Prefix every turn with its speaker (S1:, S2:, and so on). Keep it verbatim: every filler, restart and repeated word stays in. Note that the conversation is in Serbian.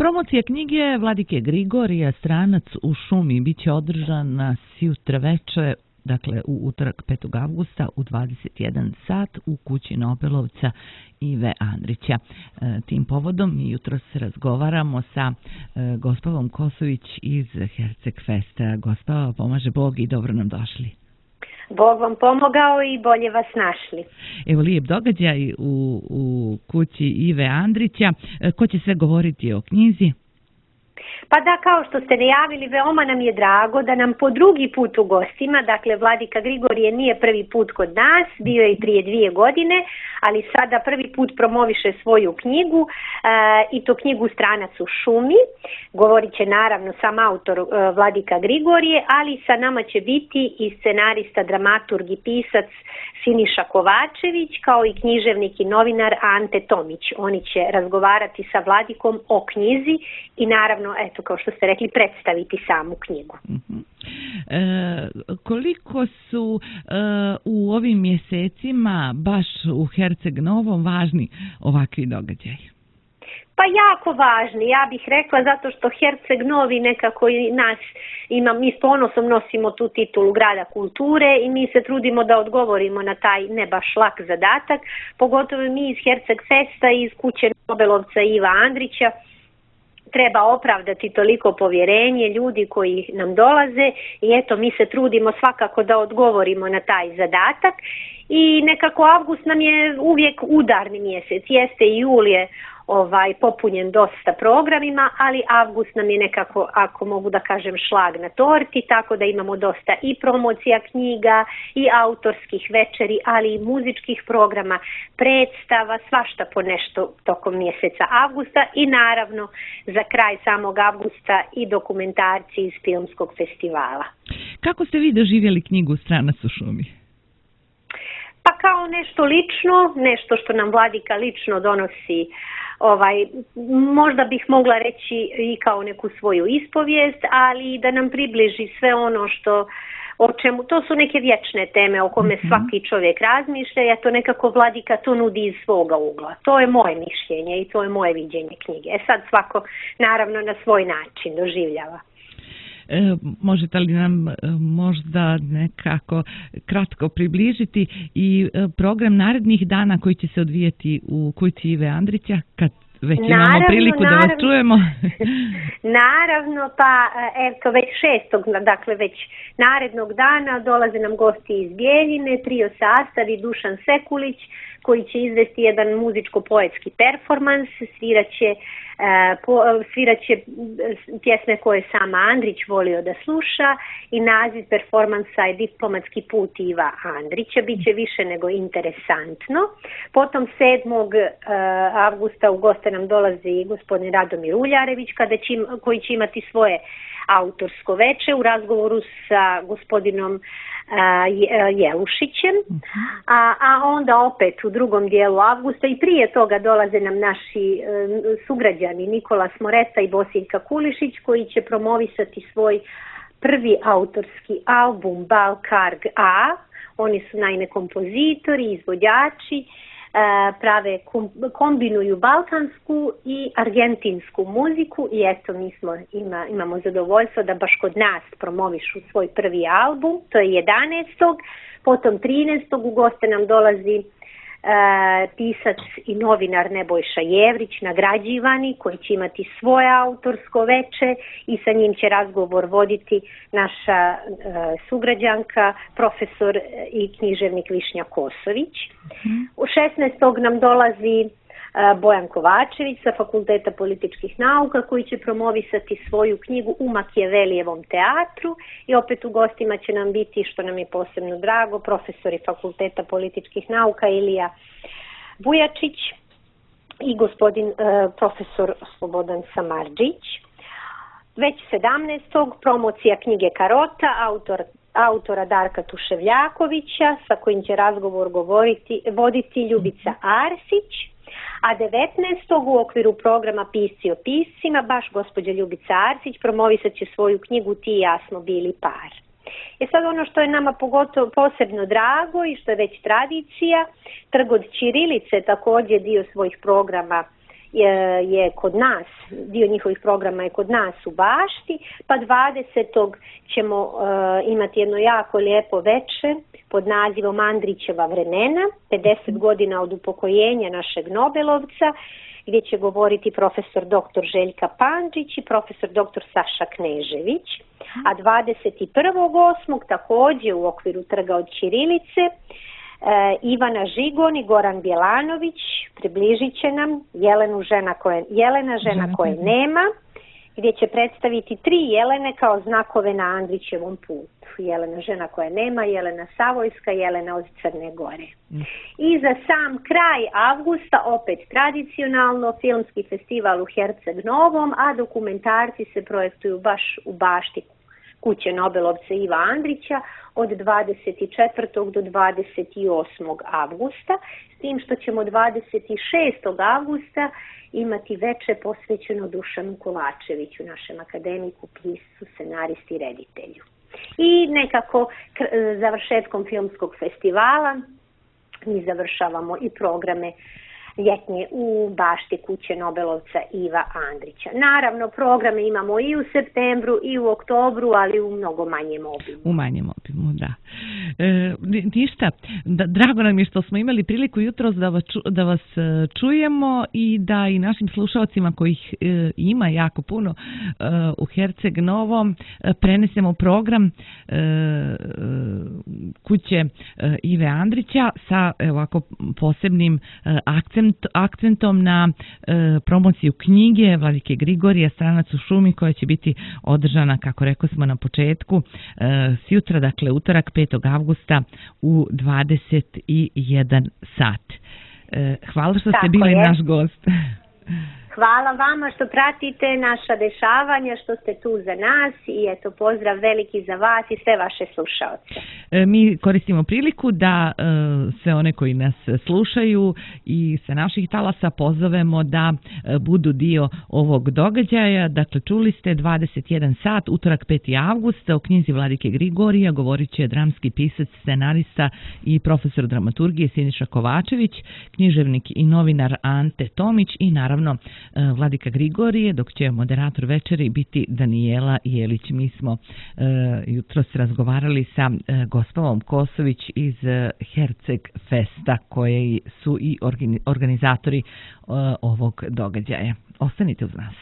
S1: Promocija knjige Vladike Grigorija Stranac u šumi biće održana sjutra veče, dakle u utorak petog avgusta u dvadeset jedan sat u kući Nobelovca Ive Andrića. Tim povodom mi jutros razgovaramo sa Gospavom Kosović iz Herceg Festa. Gospava, pomaže Bog i dobro nam došli.
S2: Bog vam pomogao i bolje vas našli.
S1: Evo lijep događaj u, u kući Ive Andrića. Ko će sve govoriti o knjizi?
S2: Pa da, kao što ste najavili, veoma nam je drago da nam po drugi put u gostima, dakle Vladika Grigorije nije prvi put kod nas, bio je i prije dvije godine, ali sada prvi put promoviše svoju knjigu e, i to knjigu Stranac u šumi. Govorit će naravno sam autor e, Vladika Grigorije, ali sa nama će biti i scenarista, dramaturg i pisac Siniša Kovačević, kao i književnik i novinar Ante Tomić. Oni će razgovarati sa Vladikom o knjizi i naravno, eto, kao što ste rekli, predstaviti samu knjigu.
S1: Uh-huh. E, koliko su e, u ovim mjesecima baš u Herceg Novom važni ovakvi događaji?
S2: Pa jako važni, ja bih rekla, zato što Herceg Novi nekako i nas ima, mi s ponosom nosimo tu titulu grada kulture i mi se trudimo da odgovorimo na taj ne baš lak zadatak, pogotovo mi iz Herceg Festa i iz kuće Nobelovca Iva Andrića. Treba opravdati toliko povjerenje ljudi koji nam dolaze i eto, mi se trudimo svakako da odgovorimo na taj zadatak i nekako avgust nam je uvijek udarni mjesec, jeste i julije ovaj popunjen dosta programima, ali avgust nam je nekako, ako mogu da kažem, šlag na torti, tako da imamo dosta i promocija knjiga i autorskih večeri, ali i muzičkih programa, predstava, svašta po nešto tokom mjeseca avgusta i naravno za kraj samog avgusta i dokumentarci iz filmskog festivala.
S1: Kako ste vi doživjeli knjigu Stranac u šumi?
S2: Pa kao nešto lično, nešto što nam Vladika lično donosi. Ovaj, možda bih mogla reći i kao neku svoju ispovijest, ali da nam približi sve ono što, o čemu, to su neke vječne teme o kome mm-hmm. svaki čovjek razmišlja, a to nekako Vladika to nudi iz svoga ugla. To je moje mišljenje i to je moje viđenje knjige. E sad svako naravno na svoj način doživljava.
S1: E, možete li nam e, možda nekako kratko približiti i e, program narednih dana koji će se odvijeti u kući Ive Andrića, kad već naravno, imamo priliku naravno, da vas čujemo?
S2: Naravno, pa eto već šestog, dakle već narednog dana dolaze nam gosti iz Bijeljine, trio sastav i Dušan Sekulić, koji će izvesti jedan muzičko-poetski performans, sviraće, uh, sviraće pjesme koje sam Andrić volio da sluša i naziv performansa je Diplomatski put Iva Andrića, bit će više nego interesantno. Potom sedmog avgusta u goste nam dolazi gospodin Radomir Uljarević, kada će, koji će imati svoje autorsko veče u razgovoru sa gospodinom Jelušićem, a, a onda opet u drugom dijelu avgusta i prije toga dolaze nam naši e, sugrađani Nikola Smoreta i Bosiljka Kulišić, koji će promovisati svoj prvi autorski album Balkarg A. Oni su naime kompozitori, izvođači, prave, kombinuju balkansku i argentinsku muziku i eto mi smo, ima, imamo zadovoljstvo da baš kod nas promovišu svoj prvi album, to je jedanaestog Potom trinaestog u goste nam dolazi e, pisac i novinar Nebojša Jevrić, nagrađivani, koji će imati svoje autorsko veče i sa njim će razgovor voditi naša e, sugrađanka, profesor i književnik Višnja Kosović. Mm. U šesnaestog nam dolazi Bojan Kovačević sa Fakulteta političkih nauka, koji će promovisati svoju knjigu U Makijevelijevom teatru i opet u gostima će nam biti, što nam je posebno drago, profesori Fakulteta političkih nauka Ilija Bujačić i gospodin uh, profesor Slobodan Samardžić. Već sedamnaestog promocija knjige Karota, autor autora Darka Tuševljakovića, sa kojim će razgovor govoriti, voditi Ljubica Arsić. A devetnaestog u okviru programa Pisci o piscima, baš gospođa Ljubica Arsić promovisat će svoju knjigu Ti i ja smo bili par. E sad ono što je nama pogotovo posebno drago i što je već tradicija, Trg od ćirilice također dio svojih programa je kod nas, dio njihovih programa je kod nas u Bašti, pa dvadesetog ćemo uh, imati jedno jako lijepo veče pod nazivom Andrićeva vremena, pedeset godina od upokojenja našeg Nobelovca, gdje će govoriti profesor doktor Željka Pandžić i profesor doktor Saša Knežević. A dvadeset prvog osmog također u okviru Trga od ćirilice E, Ivana Žigon i Goran Bjelanović približit će nam Jelenu žena koje, Jelena žena Žena. koje nema, gdje će predstaviti tri Jelene kao znakove na Andrićevom putu. Jelena žena koja nema, Jelena Savojska, Jelena od Crne Gore. Mm. I za sam kraj avgusta opet tradicionalno filmski festival u Herceg Novom, a dokumentarci se projektuju baš u Bašti kuće Nobelovca Iva Andrića od dvadeset četvrtog do dvadeset osmog avgusta, s tim što ćemo dvadeset šestog avgusta imati veče posvećeno Dušanu Kovačeviću, našem akademiku, piscu, scenaristi i reditelju. I nekako završetkom filmskog festivala mi završavamo i programe ljetnje u Bašti kuće Nobelovca Iva Andrića. Naravno, programe imamo i u septembru i u oktobru, ali u mnogo manjem obimu.
S1: U manjem obimu, da. E, ništa, da, drago nam je što smo imali priliku jutros da vas, da vas čujemo i da i našim slušalcima kojih e, ima jako puno e, u Herceg Novom e, prenesemo program e, kuće e, Ive Andrića sa e, ovako posebnim e, akcentom akcentom na e, promociju knjige Vladike Grigorija Stranac u šumi, koja će biti održana, kako rekao smo na početku, e, sjutra, dakle utorak petog avgusta u dvadeset jedan sat. E, hvala što
S2: Tako
S1: ste bili
S2: je.
S1: naš gost.
S2: Hvala vama što pratite naša dešavanja, što ste tu za nas i eto pozdrav veliki za vas i sve vaše slušaoce.
S1: Mi koristimo priliku da sve one koji nas slušaju i sa naših talasa pozovemo da budu dio ovog događaja. Dakle, čuli ste dvadeset jedan sat, utorak peti avgust, o knjizi Vladike Grigorija govorit će dramski pisac, scenarista i profesor dramaturgije Siniša Kovačević, književnik i novinar Ante Tomić i naravno Vladika Grigorije, dok će moderator večeri biti Danijela Jelić. Mi smo uh, jutros razgovarali sa uh, Gospovom Kosović iz uh, Herceg Festa, koji su i organizatori uh, ovog događaja. Ostanite uz nas.